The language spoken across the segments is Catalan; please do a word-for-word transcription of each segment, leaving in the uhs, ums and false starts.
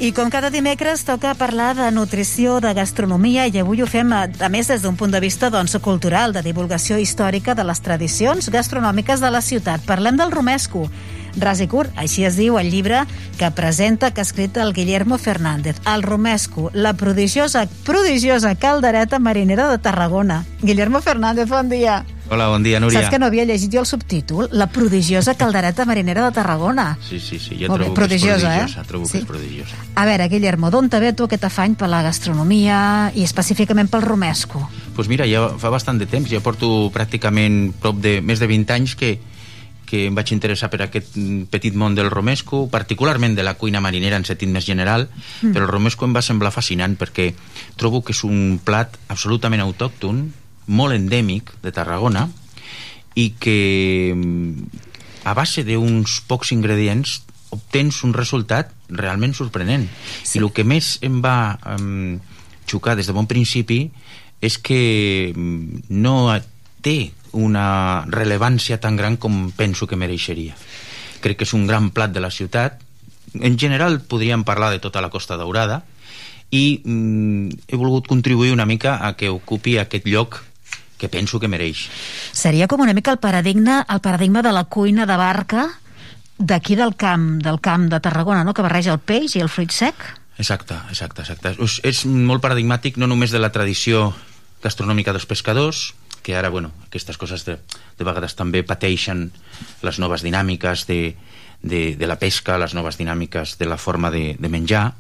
I com cada dimecres toca parlar de nutrició, de gastronomia, i avui ho fem a, a més des d'un punt de vista doncs, cultural, de divulgació històrica de les tradicions gastronòmiques de la ciutat. Parlem del romesco. Ras i curt, així es diu el llibre que presenta, que ha escrit el Guillermo Fernández. El romesco, la prodigiosa, prodigiosa caldereta marinera de Tarragona. Guillermo Fernández, bon dia. Hola, bon dia, Núria. Saps que no havia llegit jo el subtítol? La prodigiosa caldereta marinera de Tarragona. Sí, sí, sí, jo Molt trobo bé, que prodigiosa, és prodigiosa, eh? trobo Sí. que és prodigiosa. A veure, Guillermo, d'on te ve tu aquest afany per la gastronomia i específicament pel romesco? Doncs pues mira, ja fa bastant de temps, ja porto pràcticament prop de més de vint anys que, que em vaig interessar per aquest petit món del romesco, particularment de la cuina marinera en sentit més general, mm. però el romesco em va semblar fascinant perquè trobo que és un plat absolutament autòcton, molt endèmic de Tarragona, i que a base d'uns pocs ingredients obtens un resultat realment sorprenent. Sí. I el que més em va um, xocar des de bon principi és que no té una rellevància tan gran com penso que mereixeria. Crec que és un gran plat de la ciutat. En general podríem parlar de tota la Costa Daurada i um, he volgut contribuir una mica a que ocupi aquest lloc que penso que mereix. Seria com una mica el paradigma, el paradigma de la cuina de barca d'aquí del camp, del camp de Tarragona, no? Que barreja el peix i el fruit sec. Exacte, exacte, exacte. És, és molt paradigmàtic no només de la tradició gastronòmica dels pescadors, que ara, bueno, aquestes coses de, de vegades també pateixen les noves dinàmiques de, de, de la pesca, les noves dinàmiques de la forma de, de menjar,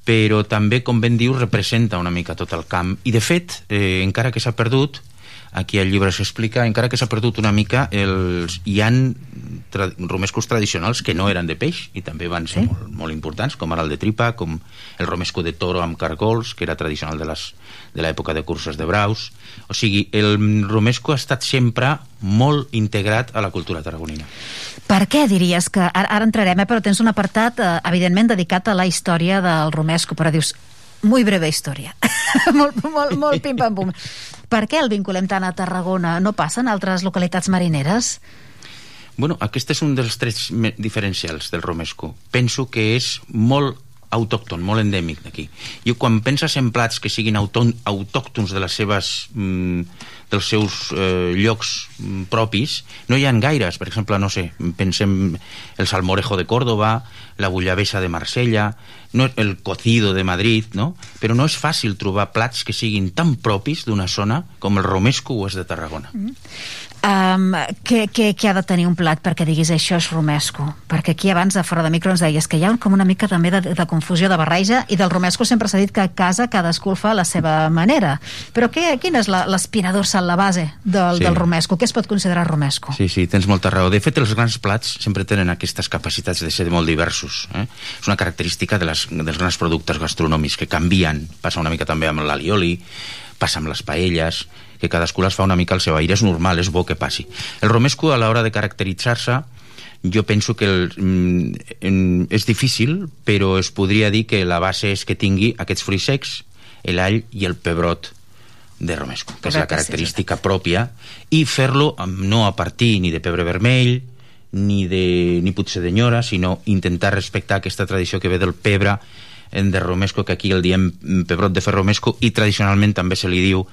però també, com ben diu, representa una mica tot el camp. I, de fet, eh, encara que s'ha perdut, aquí al llibre s'explica, encara que s'ha perdut una mica, els, hi ha tra romescos tradicionals que no eren de peix i també van ser sí? molt, molt importants, com ara el de tripa, com el romesco de toro amb cargols, que era tradicional de les de l'època de curses de braus. O sigui, el romesco ha estat sempre molt integrat a la cultura tarragonina. Per què diries que... Ara, ara entrarem, eh, però tens un apartat, eh, evidentment, dedicat a la història del romesco, però dius, muy breve història. molt, molt, molt pim-pam-pum. Per què el vinculem tant a Tarragona? No passa en altres localitats marineres? Bueno, aquest és un dels trets diferencials del romesco. Penso que és molt autòcton, molt endèmic d'aquí. I quan penses en plats que siguin autòctons de les seves, mm, dels seus eh, llocs mm, propis, no hi ha gaires. Per exemple, no sé, pensem el salmorejo de Córdoba, la bullabessa de Marsella, no, el cocido de Madrid, no? Però no és fàcil trobar plats que siguin tan propis d'una zona com el romesco ho és de Tarragona. Mm. Um, què, què, què ha de tenir un plat perquè diguis això és romesco? Perquè aquí abans de fora de micro ens deies que hi ha com una mica també de, de confusió, de barreja, i del romesco sempre s'ha dit que a casa cadascú el fa a la seva manera. Però què, quina és l'espina dorsal, la base del, sí. del romesco? Què es pot considerar romesco? Sí, sí, tens molta raó. De fet, els grans plats sempre tenen aquestes capacitats de ser molt diversos. Eh? És una característica de les, dels grans productes gastronòmics que canvien. Passa una mica també amb l'alioli, passa amb les paelles, que cadascú les fa una mica al seu aire. És normal, és bo que passi. El romesco, a l'hora de caracteritzar-se, jo penso que el, mm, és difícil, però es podria dir que la base és que tingui aquests fruits secs, l'all i el pebrot de romesco, que és la característica pròpia, i fer-lo no a partir ni de pebre vermell, ni, de, ni potser de nyora, sinó intentar respectar aquesta tradició que ve del pebre de romesco, que aquí el diem pebrot de fer romesco, i tradicionalment també se li diu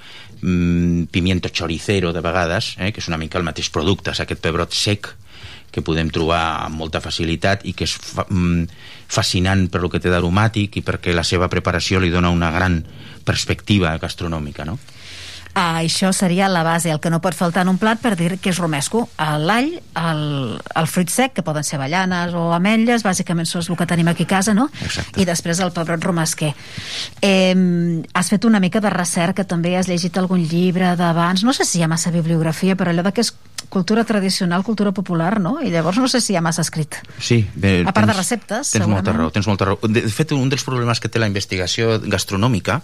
mm, pimiento choricero de vegades, eh, que és una mica el mateix producte, és aquest pebrot sec que podem trobar amb molta facilitat i que és fa, mm, fascinant per lo que té d'aromàtic i perquè la seva preparació li dona una gran perspectiva gastronòmica, no? Ah, això seria la base, el que no pot faltar en un plat per dir que és romesco. L'all, el, el fruit sec, que poden ser avellanes o ametlles, bàsicament és el que tenim aquí a casa, no? Exacte. I després el pebrot romesquer. Eh, has fet una mica de recerca, també has llegit algun llibre d'abans, no sé si hi ha massa bibliografia, però allò de que és cultura tradicional, cultura popular, no? I llavors no sé si hi ha massa escrit. Sí. Bé, a part tens, de receptes, tens segurament. Molta raó, tens molta raó. De fet, un dels problemes que té la investigació gastronòmica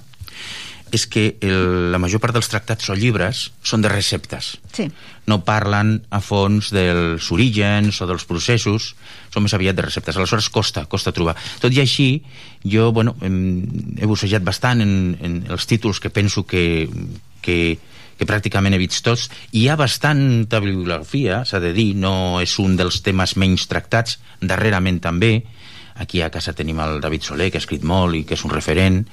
és que el, la major part dels tractats o llibres són de receptes. Sí. No parlen a fons dels orígens o dels processos, són més aviat de receptes. Aleshores costa, costa trobar. Tot i així, jo, bueno, he bussejat bastant en, en els títols que penso que, que, que pràcticament he vist tots. Hi ha bastanta bibliografia, s'ha de dir, no és un dels temes menys tractats, darrerament també. aquí a casa tenim el David Soler, que ha escrit molt i que és un referent,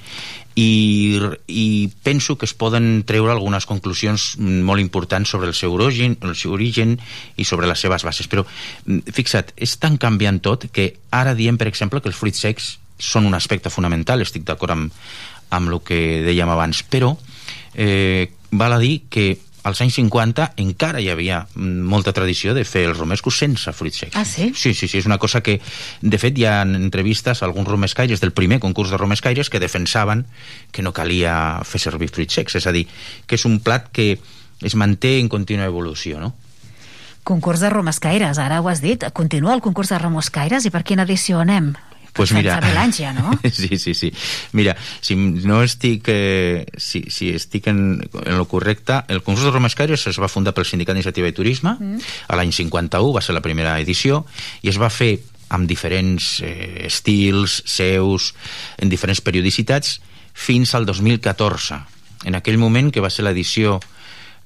i, i penso que es poden treure algunes conclusions molt importants sobre el seu origen, el seu origen i sobre les seves bases. Però fixa't, és tan canviant tot que ara diem, per exemple, que els fruits secs són un aspecte fonamental, estic d'acord amb, amb el que dèiem abans, però eh, val a dir que als anys cinquanta encara hi havia molta tradició de fer els romescos sense fruits secs. Ah, sí? Sí, sí, sí, és una cosa que, de fet, hi ha entrevistes a alguns romescaires del primer concurs de romescaires que defensaven que no calia fer servir fruits secs, és a dir, que és un plat que es manté en contínua evolució, no? Concurs de romescaires, ara ho has dit. Continua el concurs de romescaires i per quina edició anem? Pues mira, fa mil anys ja, no? sí, sí, sí. Mira, si no estic, eh, si, si estic en, en lo correcte, el concurs de romescaires es va fundar pel Sindicat d'Iniciativa i Turisme, mm. a l'any cinquanta-u, va ser la primera edició, i es va fer amb diferents eh, estils, seus, en diferents periodicitats, fins al dos mil catorze. En aquell moment, que va ser l'edició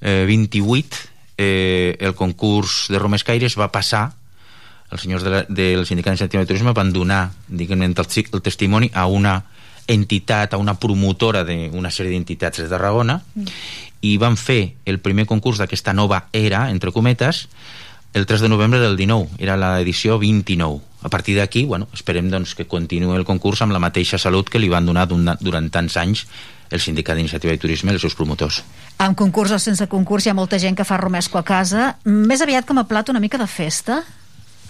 eh, vint-i-vuit, eh, el concurs de romescaires va passar, els senyors de la, del Sindicat d'Iniciativa i Turisme van donar, diguem-ne, el, el testimoni a una entitat, a una promotora d'una sèrie d'entitats de Tarragona, mm. i van fer el primer concurs d'aquesta nova era, entre cometes, el tres de novembre del dinou, era l'edició vint-i-nou. A partir d'aquí, bueno, esperem doncs, que continuï el concurs amb la mateixa salut que li van donar durant tants anys el Sindicat d'Iniciativa i Turisme i els seus promotors. Amb concurs o sense concurs hi ha molta gent que fa romesco a casa, més aviat com a plat una mica de festa.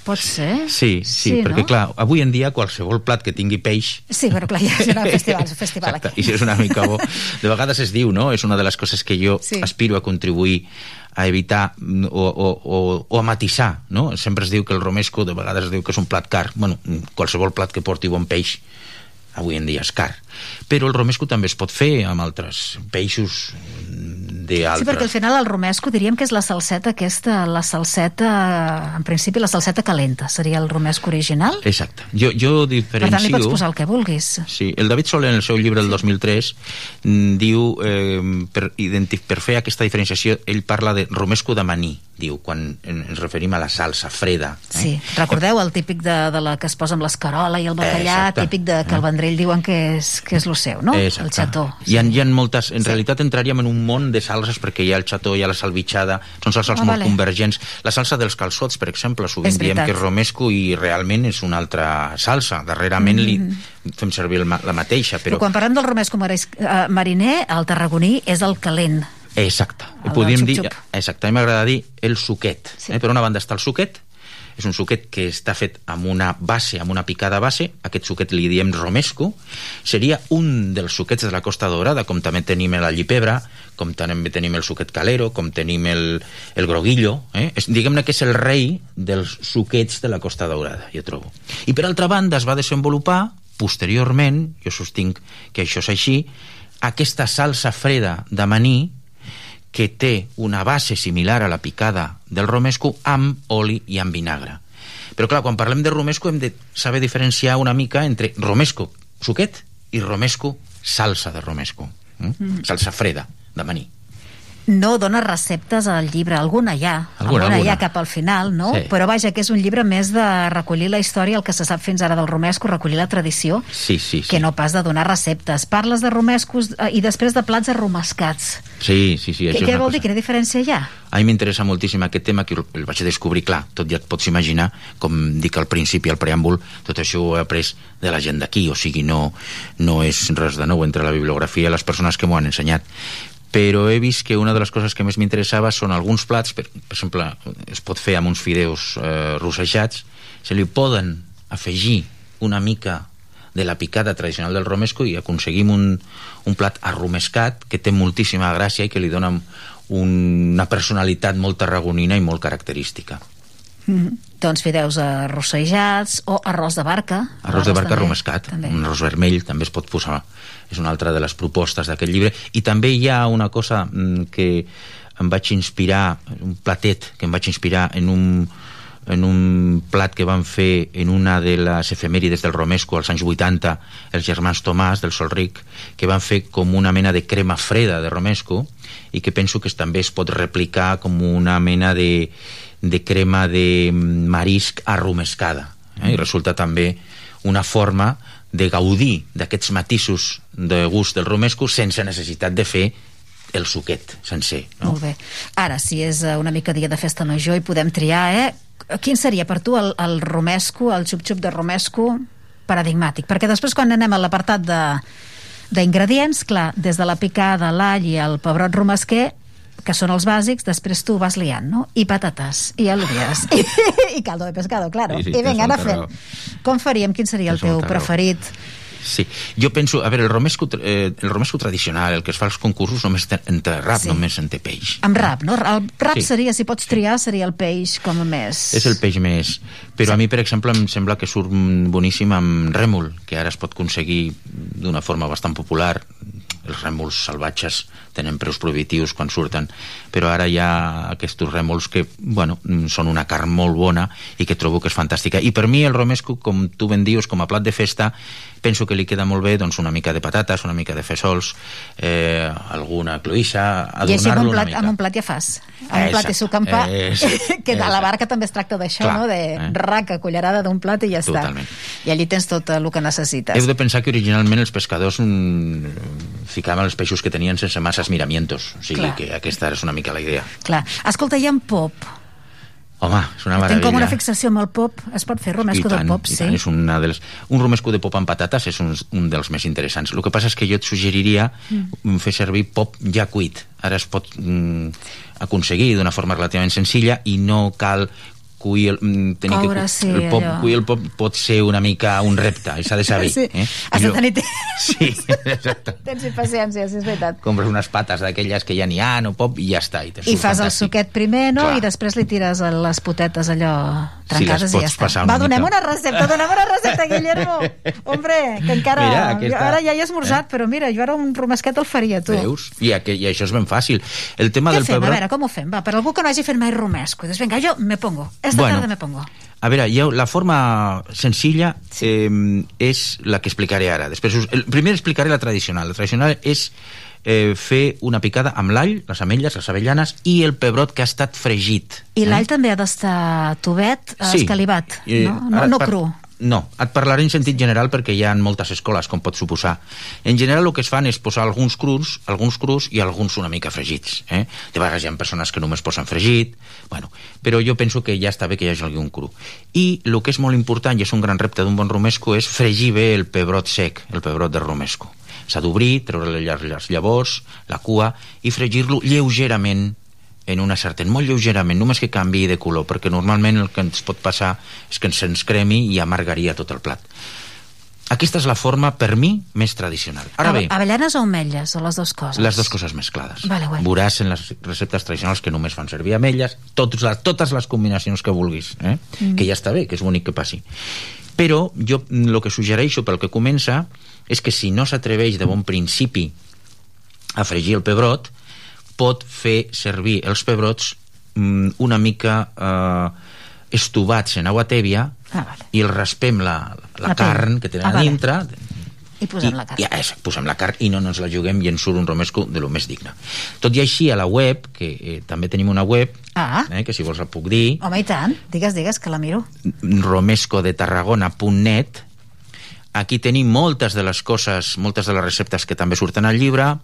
Pot ser? Sí, sí, sí, perquè no? Clar, avui en dia qualsevol plat que tingui peix... Sí, però clar, ja és un festival, un festival exacte, aquí. I si és una mica bo. De vegades es diu, no? És una de les coses que jo sí. aspiro a contribuir a evitar o, o, o, o a matisar, no? Sempre es diu que el romesco de vegades es diu que és un plat car. Bueno, qualsevol plat que porti bon peix avui en dia és car. Però el romesco també es pot fer amb altres peixos d'altres. Sí, perquè al final el romesco diríem que és la salseta aquesta, la salseta, en principi la salseta calenta, seria el romesco original? Exacte. Jo, jo diferencio... Per tant, li pots posar el que vulguis. Sí, el David Soler en el seu llibre del dos mil tres diu, eh, per, per fer aquesta diferenciació, ell parla de romesco de maní, diu, quan ens referim a la salsa freda. Eh? Sí, recordeu el típic de, de la que es posa amb l'escarola i el bacallà, exacte. Típic de que el Vendrell diuen que és, que és lo seu, no? Exacte. El xató. Sí. Hi, ha, hi ha moltes, en sí. realitat entraríem en un món de salses perquè hi ha el xató, hi ha la salvitxada, són salses ah, molt vale. convergents. La salsa dels calçots, per exemple, sovint diem que és romesco i realment és una altra salsa. Darrerament mm-hmm. li fem servir el, la mateixa. Però... però quan parlem del romesco mariner, el tarragoní és el calent. Exacte. Podríem dir, exacte, a mi m'agrada dir el suquet. Sí. Eh? Per una banda està el suquet, és un suquet que està fet amb una base, amb una picada base, aquest suquet li diem romesco, seria un dels suquets de la Costa Daurada, com també tenim l'allipebre, com també tenim el suquet calero, com tenim el, el groguillo, eh? Diguem-ne que és el rei dels suquets de la Costa Daurada, jo trobo. I per altra banda es va desenvolupar, posteriorment, jo sostinc que això és així, aquesta salsa freda de maní, que té una base similar a la picada del romesco amb oli i amb vinagre. Però clar, quan parlem de romesco hem de saber diferenciar una mica entre romesco suquet i romesco salsa de romesco. Mm? Mm. Salsa freda de maní. No dona receptes al llibre, alguna hi ha, alguna, alguna hi ha alguna. cap al final, no? Sí. Però vaja, que és un llibre més de recollir la història, el que se sap fins ara del romesco, recollir la tradició, sí, sí, sí. que no pas de donar receptes. Parles de romescos eh, i després de plats arromescats. Sí, sí, sí. Què vol cosa. dir? Quina diferència hi ha? A mi m'interessa moltíssim aquest tema, que el vaig descobrir, clar, tot ja et pots imaginar, com dic al principi, al preàmbul, tot això ho he après de la gent d'aquí, o sigui, no, no és res de nou entre la bibliografia i les persones que m'ho han ensenyat. Però he vist que una de les coses que més m'interessava són alguns plats, per, per exemple, es pot fer amb uns fideus eh, rossejats, se li poden afegir una mica de la picada tradicional del romesco i aconseguim un, un plat arromescat que té moltíssima gràcia i que li dona una personalitat molt tarragonina i molt característica. Mm-hmm. Doncs fideus arrossejats o arròs de barca. Arròs de barca arromescat, un arròs vermell també es pot posar, és una altra de les propostes d'aquest llibre. I també hi ha una cosa que em vaig inspirar, un platet que em vaig inspirar en un, en un plat que van fer en una de les efemèrides del romesco als anys vuitanta, els germans Tomàs del Solric, que van fer com una mena de crema freda de romesco i que penso que també es pot replicar com una mena de de crema de marisc arromescada, eh? I resulta també una forma de gaudir d'aquests matisos de gust del romesco sense necessitat de fer el suquet sencer, no? Molt bé. Ara, si és una mica dia de festa major i podem triar, eh? Quin seria per tu el, el romesco, el xup-xup de romesco paradigmàtic? Perquè després quan anem a l'apartat de d'ingredients, clar, des de la picada, l'all i el pebrot romesquer, que són els bàsics, després tu vas liant, no? I patates, i al·luvies, i, i caldo de pescado, claro. Sí, sí, I vinga, anar fent. Com faríem? Quin seria el teu preferit? Sí, jo penso, a veure, el romesco, eh, el romesco tradicional, el que es fa als concursos, només en té rap, sí. només en té peix. Amb rap, no? El rap sí. seria, si pots triar, seria el peix com a més... És el peix més... Però sí. a mi, per exemple, em sembla que surt boníssim amb rèmol, que ara es pot aconseguir d'una forma bastant popular. Els rèmols salvatges tenen preus prohibitius quan surten, però ara hi ha aquests rèmols que, bueno, són una carn molt bona i que trobo que és fantàstica. I per mi el romesco, com tu ben dius, com a plat de festa, penso que li queda molt bé doncs, una mica de patates, una mica de fesols, eh, alguna cloïssa, adornar-lo una mica. I amb un plat ja fas. Amb un plat i suc amb pa, que a la barca també es tracta d'això, no? De eh? raca, cullerada d'un plat i ja està. Totalment. I allí tens tot el que necessites. Heu de pensar que originalment els pescadors mm, ficaven els peixos que tenien sense masses miramientos, o sigui Clar. que aquesta és una mica la idea. Clar. Escolta, i en pop? Home, és una meravella. Tinc com una fixació amb el pop. Es pot fer romesco tant, de pop, sí? Tant, és una de les... Un romesco de pop amb patates és un, un dels més interessants. El que passa és que jo et suggeriria mm. fer servir pop ja cuit. Ara es pot mm, aconseguir d'una forma relativament senzilla i no cal cuir el, tenir Coure, que, sí, el pop, allò. cuir el pop pot ser una mica un repte, i s'ha de saber. Sí. Eh? Has de tenir... Sí, exacte. Tens paciència, sí, és veritat. Compres unes pates d'aquelles que ja n'hi ha, no pop, i ja està. I, I fas fantàstic. el suquet primer, no? Clar. I després li tires les potetes allò trencades sí, i ja està. Va, donem una recepta, donem una recepta, Guillermo. Hombre, que encara... Mira, aquesta... Ara ja he esmorzat, eh? Però mira, jo ara un romesquet el faria, tu. Veus? I, aqu... I això és ben fàcil. El tema Què del fem? pebrot... A veure, com ho fem? Va, per algú que no hagi fet mai romesco. Doncs vinga, jo me pongo. Esta bueno, tarda me pongo. A veure, jo, la forma senzilla sí. eh, és la que explicaré ara. Després, us, el, primer explicaré la tradicional. La tradicional és eh, fer una picada amb l'all, les ametlles, les avellanes i el pebrot que ha estat fregit. I l'all eh? també ha d'estar tovet, sí. escalivat, eh, no? No, no cru. No, et parlaré en sentit general perquè hi ha moltes escoles, com pots suposar. En general el que es fan és posar alguns crus, alguns crus i alguns una mica fregits. Eh? De vegades hi ha persones que només posen fregit, bueno, però jo penso que ja està bé que hi hagi algun cru. I el que és molt important, i és un gran repte d'un bon romesco, és fregir bé el pebrot sec, el pebrot de romesco. S'ha d'obrir, treure les llavors, la cua, i fregir-lo lleugerament en una sartén, molt lleugerament, només que canviï de color, perquè normalment el que ens pot passar és que se'ns cremi i amargaria tot el plat. Aquesta és la forma, per mi, més tradicional. Ara bé... Avellanes o ametlles, o les dues coses? Les dues coses mesclades. Vale, bueno. Veuràs en les receptes tradicionals que només fan servir ametlles, totes les, totes les combinacions que vulguis, eh? mm. que ja està bé, que és bonic que passi. Però jo el que suggereixo pel que comença és que si no s'atreveix de bon principi a fregir el pebrot, pot fer servir els pebrots mm, una mica eh, estovats en aigua tèbia ah, vale. i el raspem la, la, la carn que tenen ah, a dintre vale. i posem i, la carn i, ja, posem la carn i no ens la juguem i ens surt un romesco de lo més digne. Tot i així a la web, que eh, també tenim una web ah. eh, que si vols la puc dir, home i tant, digues, digues que la miro, romesco de tarragona punt net. Aquí tenim moltes de les coses, moltes de les receptes que també surten al llibre.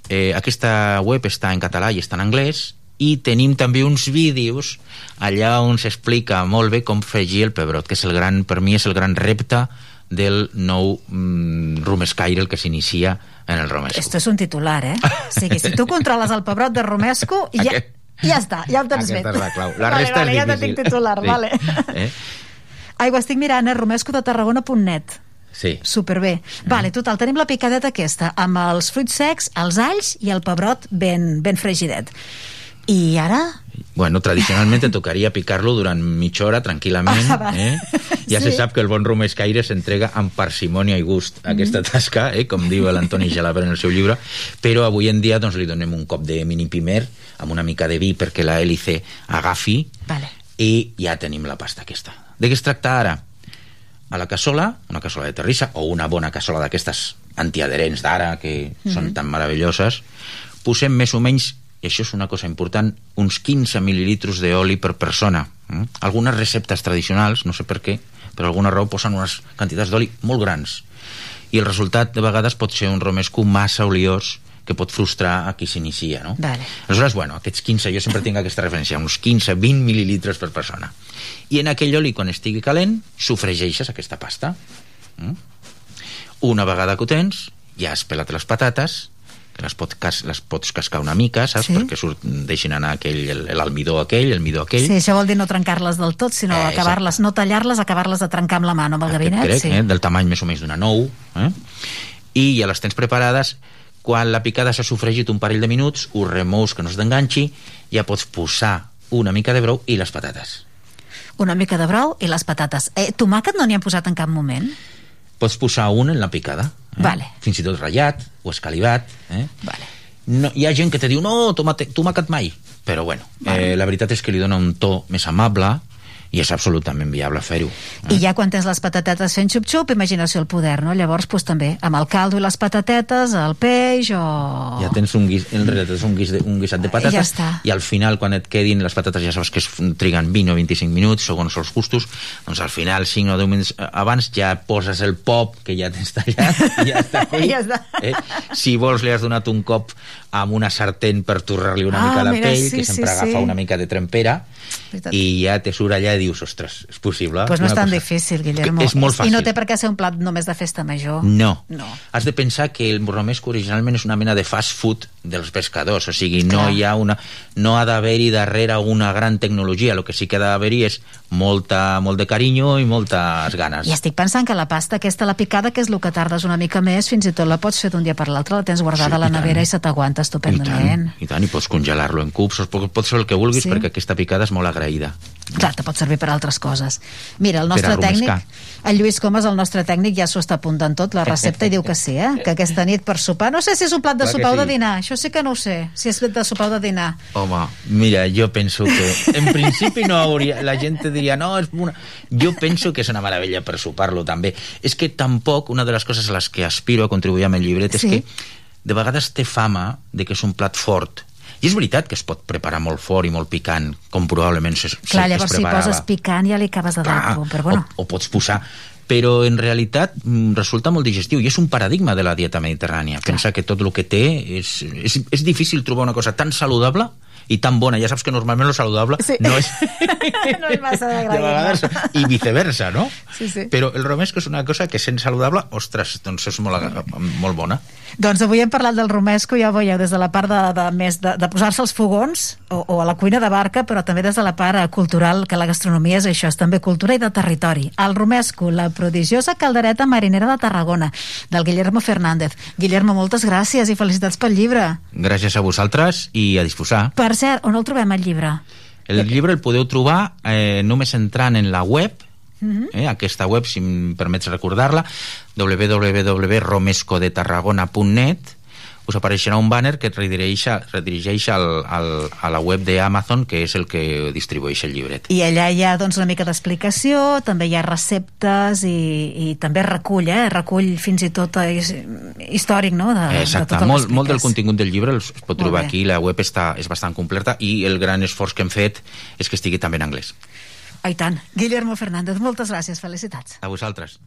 Eh, aquesta web està en català i està en anglès, i tenim també uns vídeos allà on s'explica molt bé com fregir el pebrot, que és el gran, per mi és el gran repte del nou mm, romescaire, el que s'inicia en el romesco. Esto és un titular, eh? O sigui, si tu controles el pebrot de romesco, ja, Aquest... ja està, ja ho tens fet. fet. Aquesta és la clau. La vale, resta vale, és ja difícil. ja tinc titular, sí. vale. Eh? Ai, ho estic mirant, eh? romesco de tarragona punt net. Sí. Superbé. Mm. Vale, total, tenim la picadeta aquesta, amb els fruits secs, els alls i el pebrot ben, ben fregidet. I ara? Bueno, tradicionalment te tocaria picar-lo durant mitja hora tranquil·lament. Ah, eh? Ja sí. Se sap que el bon romescaire s'entrega amb parsimònia i gust a aquesta tasca, eh? com diu l'Antoni Gelaber en el seu llibre, però avui en dia doncs, li donem un cop de mini pimer amb una mica de vi perquè la hélice agafi vale. I ja tenim la pasta aquesta. De què es tracta ara? A la cassola, una cassola de terrissa o una bona cassola d'aquestes antiadherents d'ara que mm-hmm. són tan meravelloses, posem més o menys, i això és una cosa important, uns quinze mil·lilitres d'oli per persona. Mm? Algunes receptes tradicionals, no sé per què, per alguna raó posen unes quantitats d'oli molt grans. I el resultat, de vegades, pot ser un romesco massa oliós que pot frustrar a qui s'inicia, no? Vale. Aleshores, bueno, aquests quinze, jo sempre tinc aquesta referència, uns quinze a vint mil·lilitres per persona. I en aquell oli, quan estigui calent, sofregeixes aquesta pasta. Mm? Una vegada que ho tens, ja has pelat les patates, que les, pot cas, les pots cascar una mica, saps? Sí. Perquè surt, deixin anar aquell, l'almidó aquell, el midó aquell. Sí, això vol dir no trencar-les del tot, sinó eh, acabar-les, no tallar-les, acabar-les de trencar amb la mà, no amb el gabinet. Crec, sí. eh? Del tamany més o menys d'una nou. Eh? I ja les tens preparades. Quan la picada s'ha sofregit un parell de minuts, ho remous que no es d'enganxi, ja pots posar una mica de brou i les patates. Una mica de brou i les patates. Eh, tomàquet no n'hi han posat en cap moment? Pots posar un en la picada. Eh? Vale. Fins i tot ratllat o escalivat. Eh? Vale. No, hi ha gent que te diu, no, tomàquet, tomàquet mai. Però bueno, vale. eh, la veritat és que li dona un to més amable i és absolutament viable fer-ho. Eh? I ja quan tens les patatetes fent xup-xup, imaginació el poder, no? Llavors, pues, també, amb el caldo i les patatetes, el peix o... Ja tens un, guis, en realitat és un, guis de, un guisat de patates ja i al final, quan et quedin les patates, ja saps que es triguen vint o vint-i-cinc minuts, segons els gustos, doncs al final, cinc o deu minuts abans, ja poses el pop, que ja tens tallat, i ja està fet. Ja està. Eh? Si vols, li has donat un cop amb una sartén per torrar-li una ah, mica la mira, pell, sí, que sempre sí, agafa sí. una mica de trempera, veritat. I ja te surt allà i dius, ostres, és possible? Pues no és tan cosa... difícil, Guillermo. És molt fàcil. I no té per què ser un plat només de festa major. No. no. Has de pensar que el romesco originalment és una mena de fast food dels pescadors, o sigui, no Clar. hi ha una... no ha d'haver-hi darrere una gran tecnologia, el que sí que ha d'haver-hi és molta, molt de carinyo i moltes ganes. I estic pensant que la pasta aquesta, la picada, que és el que tardes una mica més, fins i tot la pots fer d'un dia per l'altre, la tens guardada sí, a la nevera i se t'aguanta estupendament. I tant, i tant, i pots congelar-lo en cubs, pots fer el que vulguis, sí. perquè aquesta picada és molt agraïda. Clar, te pot servir per altres coses. Mira, el nostre tècnic, el Lluís Comas, el nostre tècnic, ja s'ho està apuntant tot, la recepta, i diu que sí, eh? Que aquesta nit per sopar, no sé si és un plat de sopar o de dinar, això sí que no ho sé, si és de sopar o de dinar. Home, mira, jo penso que en principi no hauria, la gent diria, no, és una... jo penso que és una meravella per sopar-lo també. És que tampoc, una de les coses a les que aspiro a contribuir amb el llibret és sí. que de vegades té fama de que és un plat fort. I és veritat que es pot preparar molt fort i molt picant, com probablement es, Clar, es llavors preparava. Si poses picant ja li acabes de dar, però bueno. O, o pots posar... Però en realitat resulta molt digestiu i és un paradigma de la dieta mediterrània. Clar. Pensa que tot el que té és, és, és difícil trobar una cosa tan saludable i tan bona. Ja saps que normalment lo saludable sí. no és... no és massa de de vegades, i viceversa, no? Sí, sí. Però el romesco és una cosa que sent saludable, ostres, doncs és molt, molt bona. Doncs avui hem parlat del romesco, ja ho veieu, des de la part de, de, més de, de posar-se als fogons o, o a la cuina de barca, però també des de la part cultural, que la gastronomia és això, és també cultura i de territori. El romesco, la prodigiosa caldereta marinera de Tarragona, del Guillermo Fernández. Guillermo, moltes gràcies i felicitats pel llibre. Gràcies a vosaltres i a disposar. Per cert, on el trobem, el llibre? El llibre el podeu trobar eh, només entrant en la web, uh-huh. eh, aquesta web, si em permets recordar-la, w w w punt romesco de tarragona punt net. Us apareixerà un banner que et redirigeix, redirigeix al, al, a la web d'Amazon, que és el que distribueix el llibret. I allà hi ha doncs, una mica d'explicació, també hi ha receptes i, i també recull, eh? recull fins i tot és, històric, no? De, Exacte, de tot molt, molt del contingut del llibre es pot trobar aquí, la web està, és bastant completa i el gran esforç que hem fet és que estigui també en anglès. Ah, i tant. Guillermo Fernández, moltes gràcies, felicitats. A vosaltres.